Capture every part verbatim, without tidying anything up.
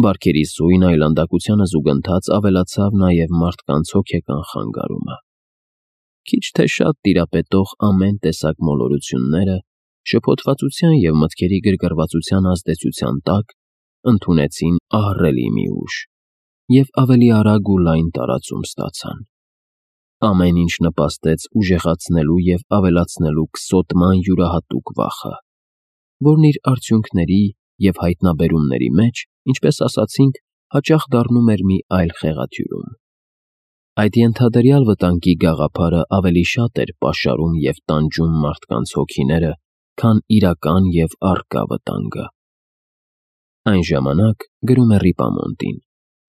Բարքերի սույն այլանդակությանը զուգընթաց ավելացավ նաև մարդկանց հոգեկան խանգարումը։ Քիչ թե շատ տիրապետող ամեն տեսակ մոլորությունները շփոթվածության և մտքերի գրգռվածության ազդեցության տակ ընդունեցին ահռելի մի ուժ և ավելի արագ ու լայն տարածում ստացան։ Ամեն ինչ նպաստեց ուժեղացնելու և ավելացնելու քսոտման յուրահատուկ վախը, որն իր արդյունքների և հայտնաբերումների մեջ, ինչպես ասացինք, հաճախ դառնում էր մի այլ խեղաթյուրում։ Այդ ենթադրյալ վտանգի գաղափարը ավելի շատ էր պաշարում և տանջում մարդկանց հոգիները, քան իրական և առկա վտանգը։ Այն ժամանակ, գրում է Ռիպամոնտին,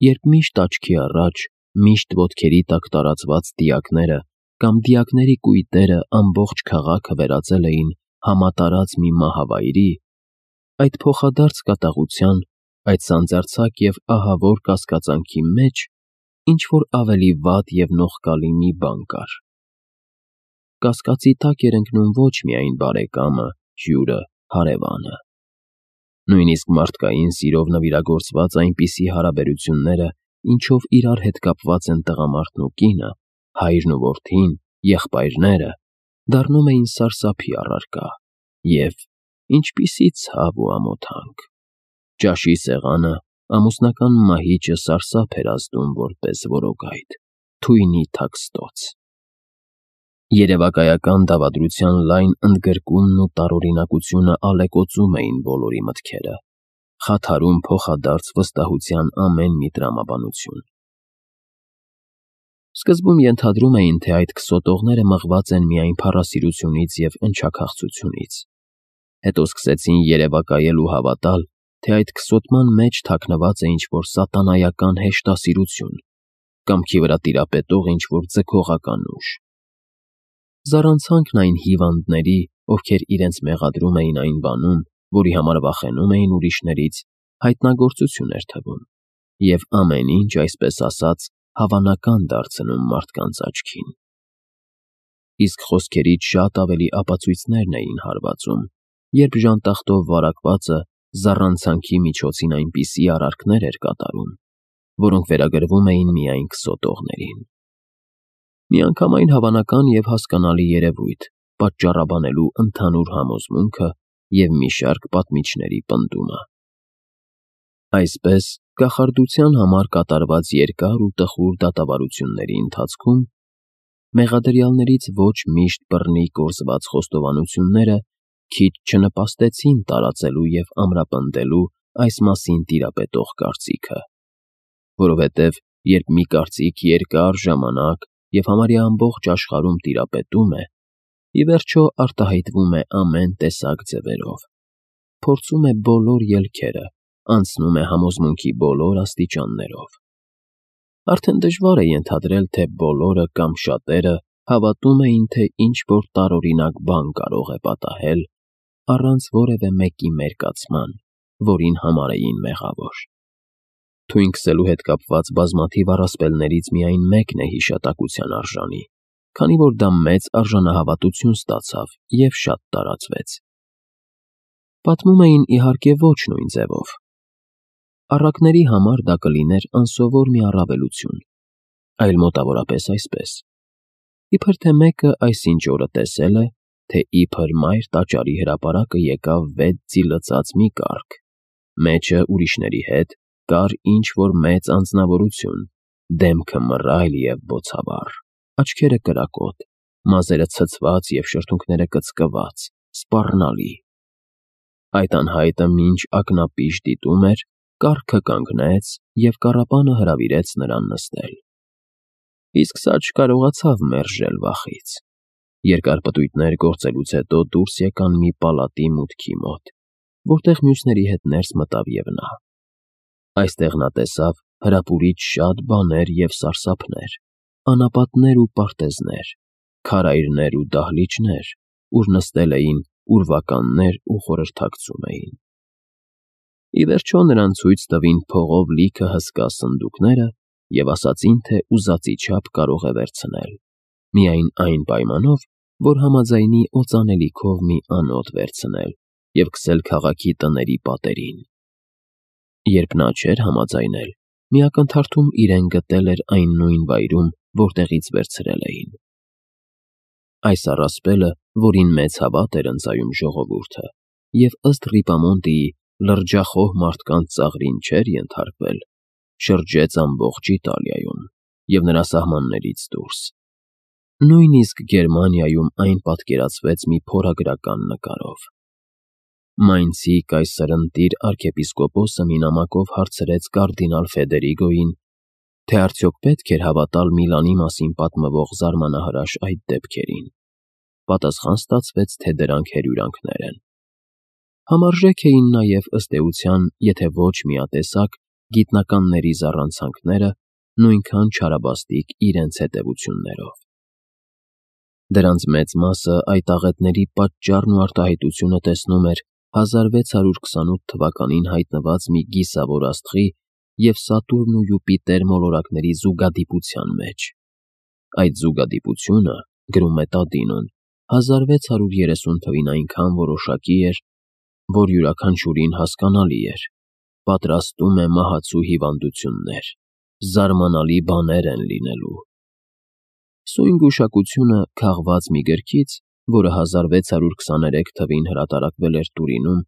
երբ միշտ աչքի առաջ, միշտ ոտքերի տակ տարածված դիակները կամ դիակների կույտերը ամբողջ քաղաքը վերածել էին համատարած մի մահավայրի, այդ փոխադարձ կատաղության, այդ սանձարձակ և ահավոր կասկածանքի մեջ ինչ-որ ավելի վատ և նողկալի մի բան կար։ Կասկածի տակ էր ընկնում ոչ միայն բարեկամը, հյուրը, հարևանը։ Նույնիսկ մարդկային սիրով նվիրագործված այնպիսի հարաբերությունները, ինչով իրար հետ կապված են տղամարդն ու կինը, հայրն ու որդին, եղբայրները, դառնում էին սարսափի առարկա, և ինչպիսի ցավ ու ամոթանք… Ճաշի սեղանը, ամուսնական մահիճը սարսափ էր ազդում որպես որոգայթ, թույնի թաքստոց։ Երևակայական դավադրության լայն ընդգրկումն ու տարօրինակությունը ալեկոծում էին բոլորի մտքերը, խաթարում փոխադարձ վստահության ամեն մի տրամաբանություն։ Սկզբում ենթադրում էին, թե այդ քսոտողները մղված են միայն փառասիրությունից և ընչաքաղցությունից։ Հետո սկսեցին երևակայել ու հավատալ, թե այդ քսոտման մեջ թաքնված է ինչ-որ սատանայական հեշտասիրություն, կամքի վրա տիրապետող ինչ-որ ձգողական ուժ։ Զառանցանքն այն հիվանդների, ովքեր իրենց մեղադրում էին այն բանում, որի համար վախենում էին ուրիշներից, հայտնագործություն էր թվում, և ամեն ինչ, այսպես ասած, հավանական դարձնում մարդկանց աչքին։ Իսկ խոսքերից շատ ավելի ապացույցներն էին հարվածում, երբ ժանտախտով վարակվածը զառանցանքի միջոցին այնպիսի արարքներ էր կատարում, որոնք վերագրվում էին միայն քսոտողներին։ Միանգամայն հավանական և հասկանալի երևույթ՝ պատճառաբանելու ընդհանուր համոզմունքը և մի շարք պատմիչների պնդումը։ Այսպես, կախարդության համար կատարված երկար ու տխուր դատավարությունների ընթացքում մեղադրյալներից ոչ միշտ բռնի կորզված խոստովանությունները քիչ չնպաստեցին տարածելու և ամրապնդելու այս մասին տիրապետող կարծիքը, որովհետև երբ մի կարծիք երկար ժամանակ և համարյա ամբողջ աշխարհում տիրապետում է, ի վերջո արտահայտվում է ամեն տեսակ ձևերով, փորձում է բոլոր ելքերը, անցնում է համոզմունքի բոլոր աստիճաններով, արդեն դժվար է ենթադրել, թե բոլորը կամ շատերը հավատում էին, թե ինչ-որ տարօրինակ բան կարող է պատահել առանց որևէ մեկի մերկացման, որին համարեին մեղավոր։ Թույն քսելու հետ կապված բազմաթիվ առասպելներից միայն մեկն է հիշատակության արժանի, քանի որ դա մեծ արժանահավատություն ստացավ և շատ տարածվեց։ Պատմում էին, իհարկե, ոչ նույն ձևով։ Առակների համար դա կլիներ անսովոր մի առավելություն, այլ մոտավորապես այսպես. իբր թե մեկը այսինչ օրը տեսել է, թե իբր մայր տաճարի հրապարակը եկավ վեց ձի լցած մի կառք, մեջը ուրիշների հետ կար ինչ-որ մեծ անձնավորություն, դեմքը մռայլ և բոցավառ, աչքերը կրակոտ, մազերը ցցված և շրթունքները կծկված, սպառնալի։ Այդ անհայտը մինչ ակնապիշ դիտում էր, կառքը կանգնեց և կառապանը հրավիրեց նրան նստել։ Իսկ սա չկարողացավ մերժել վախից։ Երկար պտույտներ գործելուց հետո դուրս եկան մի պալատի մուտքի մոտ, որտեղ մյուսների հետ ներս մտավ և նա։ Այստեղ նա տեսավ հրապուրիչ շատ բաներ և սարսափներ, անապատներ ու պարտեզներ, քարայրներ ու դահլիճներ, ուր նստել էին ուրվականներ ու խորհրդակցում էին։ Ի վերջո նրան ցույց տվին փողով լիքը հսկա սնդուկները և ասացին, թե ուզածի չափ կարող է վերցնել, միայն այն պայմանով, որ համաձայնի օծանելիքով մի անոթ վերցնել և քսել քաղաքի տների պատերին։ Երբ նա չէր համաձայնել, մի ակնթարթում իրեն գտել էր այն նույն վայրում, որտեղից վերցրել էին։ Այս առասպելը, որին մեծ հավատ էր ընծայում ժողովուրդը, և ըստ Ռիպամոնտիի լրջախոհ մարդկանց ծաղրին չէր ենթարկվել, շրջեց ամբողջ Իտալիայում և նրա սահմաններից դուրս։ Նույնիսկ Գերմանիայում այն պատկերացվեց մի փորագրական նկարով։ Մայնցի կայսրընտիր արքեպիսկոպոսը մի նամակով հարցրեց կարդինալ Ֆեդերիգոյին, թե արդյոք պետք էր հավատալ Միլանի մասին պատմվող զարմանահրաշ այդ դեպքերին։ Պատասխան ստացվեց, թե դրանք հրյուրանքներ են։ Համարժեք էին նաև ըստ էության, եթե ոչ միատեսակ, գիտնականների զառանցանքները, նույնքան չարաբաստիկ իրենց հետևություններով։ Դրանց մեծ մասը այդ աղետների պատճառն ու արտահայտությունը տեսնում էր հազար վեց հարյուր քսանութ թվականին հայտնված մի գիսավոր աստղի և Սատուրն ու Յուպիտեր մոլորակների զուգադիպության մեջ։ Այդ զուգադիպությունը, գրում է Տադինոն, հազար վեց հարյուր երեսուն թվին այնքան որոշակի էր, որ յուրաքանչյուրին հասկանալի էր, պատրաստում է մահացու հիվանդություններ, զարմանալի բաներ են լինելու։ Սույն գուշակությունը քաղված մի գրքից, որը հազար վեց հարյուր քսաներեք թվին հրատարակվել էր Տուրինում,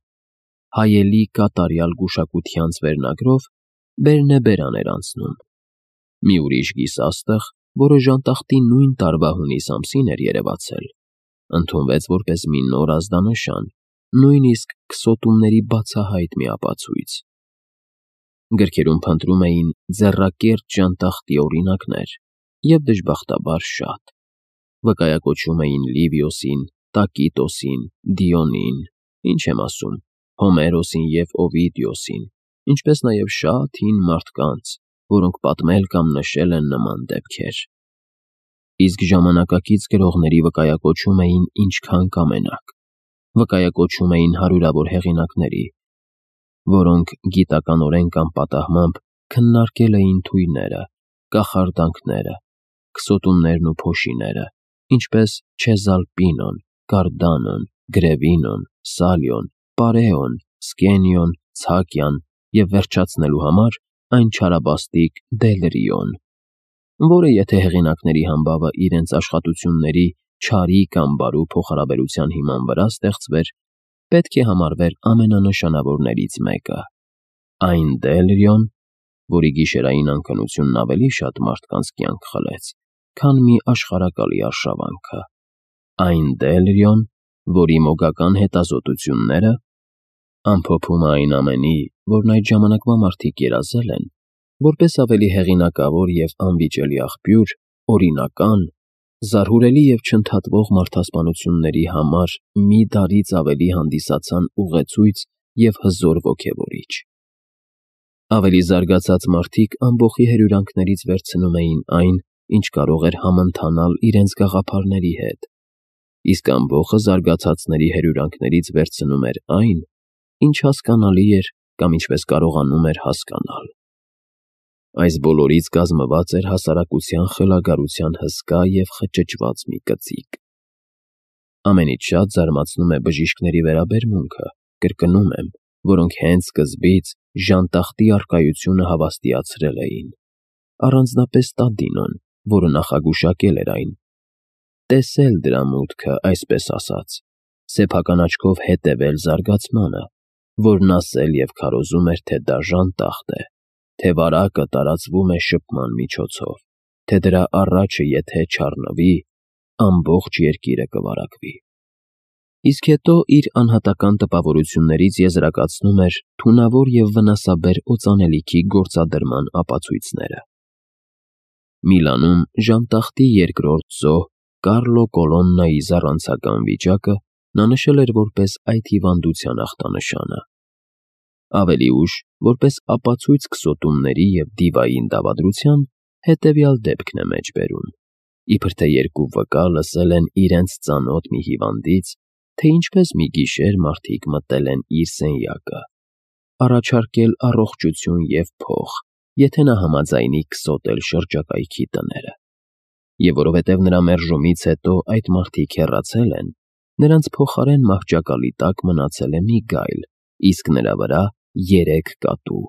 հայելի կատարյալ գուշակությանց վերնագրով Բերնեբերան էր անցնում։ Մի ուրիշ գիսաստղ, որը ժանտախտի նույն տարվա հունիս ամսին էր երևացել, ընդունվեց որպես մի նոր ազդանշան, նույնիսկ քսոտումների բացահայտ մի ապացույց։ Գրքերում փնտրում էին ձեռակերտ ժանտախտի օրինակներ, և դժբախտաբար շատ։ Վկայակոչում էին Լիվիոսին, Տակիտոսին, Դիոնին, ինչ եմ ասում, Հոմերոսին և Օվիդիոսին, ինչպես նաև շատ հին մարդկանց, որոնք պատմել կամ նշել են նման դեպքեր։ Իսկ ժամանակակից գրողների վկայակոչում էին ինչքան կամենաք։ Վկայակոչում էին հարյուրավոր հեղինակների, որոնք գիտականորեն կամ պատահմամբ քննարկել էին թույները, կախարդանքները, քսոտումներն ու փոշիները, ինչպես Չեզալպինոն, Կարդանոն, Գրևինոն, Սալիոն, Պարեոն, Սկենիոն, Ցակյան և վերջացնելու համար այն չարաբաստիկ Դելրիոն, որը եթե հեղինակների համբավը իրենց աշխատությունների չարի կամ բարու փոխհարաբերության հիման վրա ստեղծվեր, պետք է համարվեր ամենանշանավորներից մեկը։ Այն Դելրիոն, որի գիշերային անքնությունն ավելի շատ մարդկանց կյանք խլեց, քան մի աշխարհակալի արշավանքը։ Այն Դելրիոն, որի մոգական հետազոտությունները, ամփոփումը այն ամենի, որն այդ ժամանակվա մարդիկ երազել են, որպես ավելի հեղինակավոր և անվիճելի աղբյուր, օրինական, զարհուրելի և չընդհատվող մարդասպանությունների համար մի դարից ավելի հանդիսացան ուղեցույց և հզոր ոգևորիչ։ Ավելի զարգացած մարդիկ ամբոխի հրյուրանքներից վերցնում էին այն, ինչ կարող էր համընթանալ իրենց գաղափարների հետ, իսկ ամբոխը զարգացածների հրյուրանքներից վերցնում էր այն, ինչ հասկանալի էր կամ ինչպես կարողանում էր հասկանալ։ Այս բոլորից կազմված էր հասարակության խելագարության հսկա և խճճված մի կծիկ։ Ամենից շատ զարմացնում է բժիշկների վերաբերմունքը, կրկնում եմ, որոնք հենց սկզբից ժանտախտի առկայությունը հավաստիացրել էին, առանձնապես Տադինոն, որը նախագուշակել էր այն, տեսել դրա մուտքը, այսպես ասած, սեփական աչքով հետևել զարգացմանը, որն ասել և քարոզում էր, թե դա ժանտախտ է, թե վարակը տարածվում է շփման միջոցով, թե դրա առաջը եթե չառնվի, ամբողջ երկիրը կվարակվի։ Իսկ հետո իր անհատական տպավորություններից եզրակացնում էր թունավոր և վնասաբեր օծանելիքի գործադրման ապացույցները։ Միլանում ժանտախտի երկրորդ զոհ Կարլո Կոլոննայի զառանցական վիճակը նա նշել էր որպես այդ հիվանդության ախտանշանը։ Ավելի ուշ, որպես ապացույց քսոտումների և դիվային դավադրության, հետևյալ դեպքն է մեջբերում, իբր թե երկու վկա լսել են իրենց ծանոթ մի հիվանդից, թե ինչպես մի գիշեր մարդիկ մտել են իր սենյակը, առաջարկել առողջություն և փող, եթե նա համաձայնի քսոտել շրջակայքի տները։ Եվ որովհետև նրա մերժումից հետո այդ մարդիկ հեռացել են, նրանց փոխարեն մահճակալի տակ մնացել է մի գայլ, իսկ նրա վրա երեք կատու։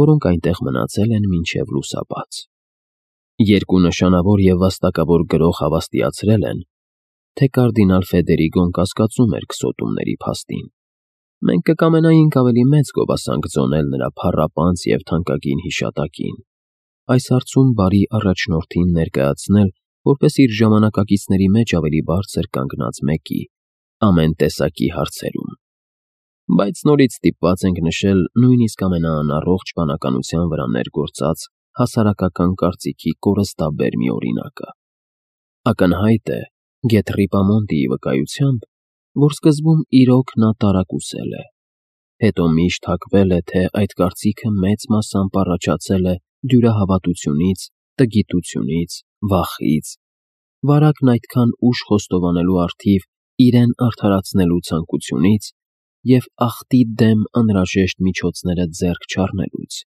որոնք այնտեղ մնացել են մինչև լուսաբաց։ Երկու նշանավոր և վաստակավոր գրող հավաստիացրել են, թե կարդինալ Ֆեդերիգոն կասկածում էր քսոտումների փաստին։ Մենք կկամենայինք ավելի մեծ գովասանք ձոնել նրա փառապանծ և թանկագին հիշատակին, այս հարցում բարի առաջնորդին ներկայացնել որպես իր ժամանակակիցների մեջ ավելի բարձր կանգնած մեկի, ամեն տեսակի հարցերում։ Բայց նորից ստիպված ենք նշել նույնիսկ ամենաանառողջ բանականության վրա ներգործած հասարակական կարծիքի կորստաբեր մի օրինակը։ Ակնհայտ է, գեթ Ռիպամոնտիի վկայությամբ, որ սկզբում իրոք նա տարակուսել է, հետո միշտ հակվել է, թե այդ կարծիքը մեծ մասամբ առաջացել է դյուրահավատությունից, տգիտությունից, վախից, վարակն այդքան ուշ խոստովանելու առթիվ իրեն արդարացնելու ցանկությունից և ախտի դեմ անհրաժեշտ միջոցները ձեռք չառնելուց։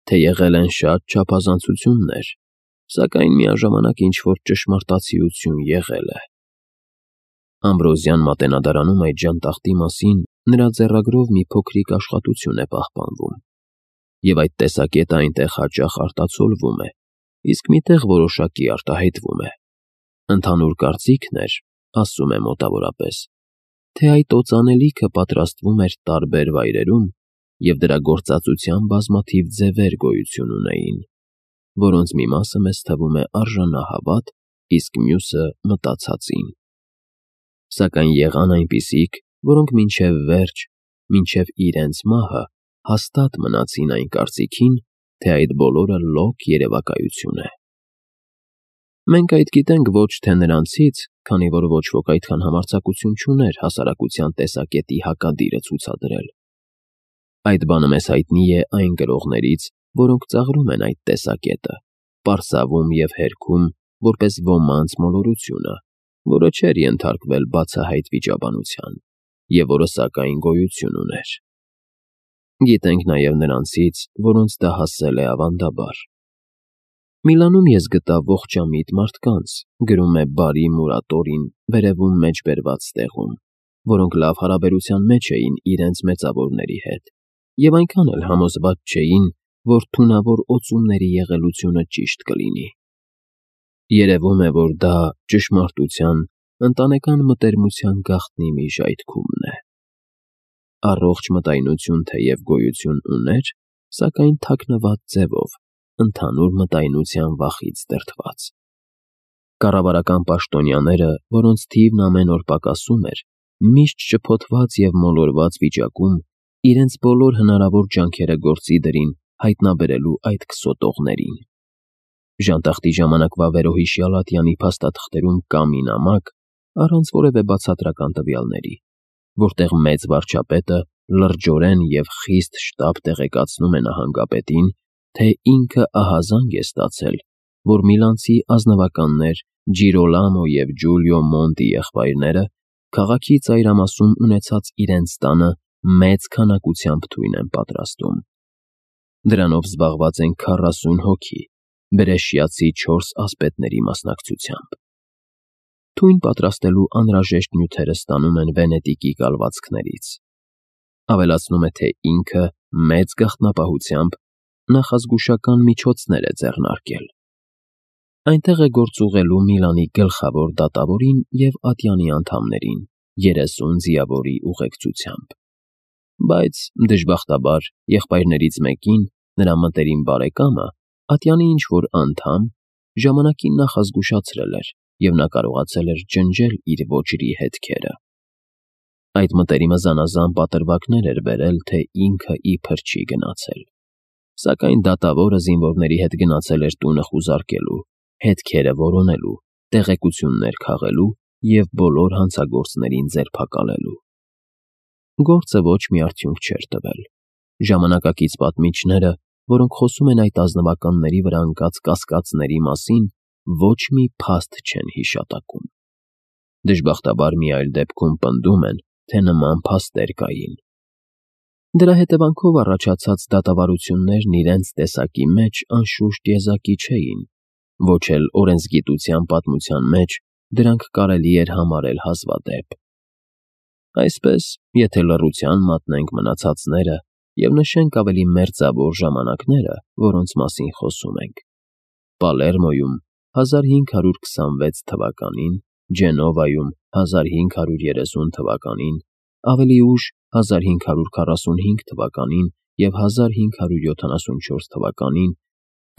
Թե եղել են շատ չափազանցություններ, սակայն միաժամանակ ինչ-որ ճշմարտացիություն եղել է։ Ամբրոզյան մատենադարանում այդ ժանտախտի մասին նրա ձեռագրով մի փոքրիկ աշխատություն է պահպանվում, և այդ տեսակետը այնտեղ հաճախ արտացոլվում է, իսկ մի տեղ որոշակի արտահայտվում է։ Ընդհանուր կարծիքն էր, ասում է մոտավորապես, թե այդ օծանելիքը պատրաստվում էր տարբեր վայրերում և դրա գործածության բազմաթիվ ձևեր գոյություն ունեին, որոնց մի մասը մեզ թվում է արժանահավատ, իսկ մյուսը մտածածին։ Սակայն եղան այնպիսիք, որոնք մինչև վերջ, մինչև իրենց մահը հաստատ մնացին այն կարծիքին, թե այդ բոլորը լոկ երևակայություն է։ Մենք այդ գիտենք ոչ թե նրանցից, քանի որ ոչ ոք այդքան համարձակություն չուներ հասարակության տեսակետի հակադիրը ցուցադրել։ Այդ բանը մեզ հայտնի է այն գրողներից, որոնք ծաղրում են այդ տեսակետը, պարսավում և հերքում որպես ոմանց մոլորությունը, որը չէր ենթարկվել բացահայտ վիճաբանության, և որը սակայն գոյություն ուներ։ Գիտենք նաև նրանցից, որոնց դա հասել է ավանդաբար։ Միլանում ես գտա ողջամիտ մարդկանց, գրում է բարի Մուրատորին վերևում մեջբերված ստեղում, որոնք լավ հարաբերության մեջ էին իրենց մեծավորների հետ, և այնքան էլ համոզված չէին, որ թունավոր օծումների եղելությունը ճիշտ կլինի։ Երևում է, որ դա ճշմարտության, ընտանեկան մտերմության գաղտնի մի ժայթքումն է։ Առողջ մտայնություն թեև գոյություն ուներ, սակայն թաքնված ձևով, ընդհանուր մտայնության վախից դրդված։ Կառավարական պաշտոնյաները, որոնց թիվն ամեն օր պակասում էր, միշտ շփոթված և մոլորված վիճակում իրենց բոլոր հնարավոր ջանքերը գործի դրին հայտնաբերելու այդ քսոտողներին։ Ժանտախտի ժամանակվա վերոհիշյալ ատյանի փաստաթղթերում կա մի նամակ, առանց որևէ բացատրական տվյալների, որտեղ մեծ վարչապետը լրջորեն և խիստ շտապ տեղեկացնում է նահանգապետին, թե ինքը ահազանգ է ստացել, որ միլանցի ազնվականներ Ջիրոլամո և Ջուլիո Մոնտի եղբայրները քաղաքի ծայրամասում ունեցած իրենց տանը մեծ քանակությամբ թույն են պատրաստում։ Դրանով զբաղված են քառասուն հոգի, Բրեշիացի չորս ասպետների մասնակցությամբ։ Թույն պատրաստելու անհրաժեշտ նյութերը ստանում են Վենետիկի կալվածքներից։ Ավելացնում է, թե ինքը մեծ գաղտնապահությամբ նախազգուշական միջոցներ է ձեռնարկել։ Այնտեղ է գործուղղելու Միլանի գլխավոր դատավորին և ատյանի անդամներին երեսուն ձիավորի ուղեկցությամբ։ Բայց, դժբախտաբար, եղբայրներից մեկին, նրա մտերիմ բարեկամը, ատյանի ինչ-որ անդամ, ժամանակին նախազգուշացրել էր, և նա կարողացել էր ջնջել իր ոճրի հետքերը։ Այդ մտերիմը զանազան պատրվակներ էր բերել, թե ինքը իբր չի գնացել։ Սակայն դատավորը զինվորների հետ գնացել էր տունը խուզարկելու, հետքերը որոնելու, տեղեկություններ քաղելու և բոլոր հանցագործներին ձերբակալելու։ Գործը ոչ մի արդյունք չէր տվել։ Ժամանակակից պատմիչները, որոնք խոսում են այդ ազնվականների վրա ընկած կասկածների մասին, ոչ մի փաստ չեն հիշատակում։ Դժբախտաբար մի այլ դեպքում պնդում են, թե նման փաստեր կային։ Դրա հետևանքով առաջացած դատավարություններն իրենց տեսակի մեջ անշուշտ եզակի չէին, ոչ էլ օրենսգիտության պատմության մեջ դրանք կարելի էր համարել հազվադեպ։ Այսպես, եթե լռության մատնենք մնացածները, և նշենք ավելի մերձավոր ժամանակները, որոնց մասին խոսում ենք. Պալերմոյում հազար հինգ հարյուր քսանվեց թվականին, Ջենովայում հազար հինգ հարյուր երեսուն թվականին, ավելի ուշ հազար հինգ հարյուր քառասունհինգ թվականին և հազար հինգ հարյուր յոթանասունչորս թվականին,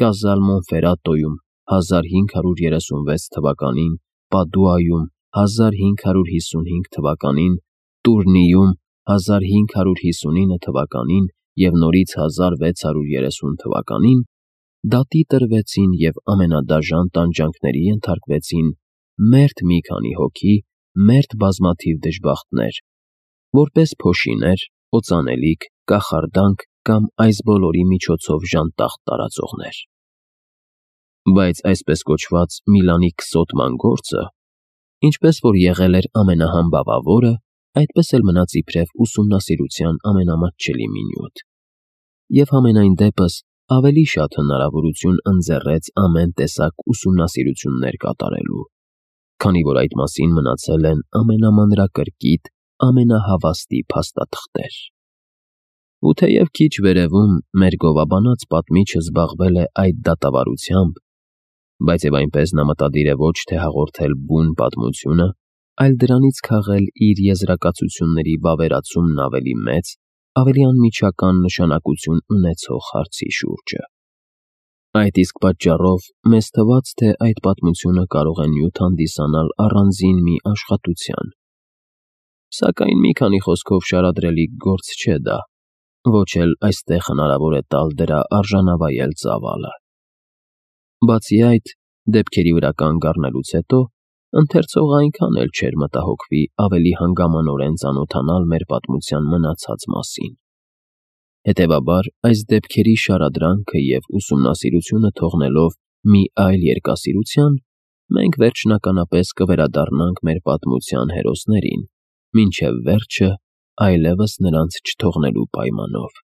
Կազալ Մոնֆերատոյում հազար հինգ հարյուր երեսունվեց թվականին, Պադուայում հազար հինգ հարյուր հիսունհինգ թվականին, Տուրնիում հազար հինգ հարյուր հիսունինը թվականին և նորից հազար վեց հարյուր երեսուն թվականին դատի տրվեցին և ամենադաժան տանջանքների ենթարկվեցին մերթ մի քանի հոգի, մերթ բազմաթիվ դժբախտներ, որպես փոշիներ, օծանելիք, կախարդանք կամ այս բոլորի միջոցով ժանտախտ տարածողներ։ Բայց այսպես կոչված Միլանի քսոտման գործը, ինչպես որ եղել էր ամենահամբավավորը, այդպես էլ մնաց իբրև ուսումնասիրության ամենամատչելի մի նյութ, և համենայն դեպս ավելի շատ հնարավորություն ընձեռեց ամեն տեսակ ուսումնասիրություններ կատարելու, քանի որ այդ մասին մնացել են ամենամանրակրկիտ, ամենահավաստի փաստաթղթեր։ Ու թեև քիչ վերևում մեր գովաբանած պատմիչը զբաղվել է այդ դատավարությամբ, բայց և այնպես նա մտադիր է ոչ թե հաղորդել բուն պատմությունը, այլ դրանից քաղել իր եզրակացությունների վավերացումն ավելի մեծ, ավելի անմիջական նշանակություն ունեցող հարցի շուրջը։ Այդ իսկ պատճառով մեզ թվաց, թե այդ պատմությունը կարող է նյութ հանդիսանալ առանձին մի աշխատության, սակայն մի քանի խոսքով շարադրելիք գործ չէ դա, ոչ էլ այստեղ հնարավոր է տալ դրա արժանավայել ծավալը։ Բացի այդ, դեպքերի վրա կանգ առնելուց հետո ընթերցողը այնքան էլ չէր մտահոգվի ավելի հանգամանորեն ծանոթանալ մեր պատմության մնացած մասին։ Հետևաբար, այս դեպքերի շարադրանքը և ուսումնասիրությունը թողնելով մի այլ երկասիրության, մենք վերջնականապես կվերադառնանք մեր պատմության հերոսներին, մինչև վերջը այլևս նրանց չթողնելու պայմանով։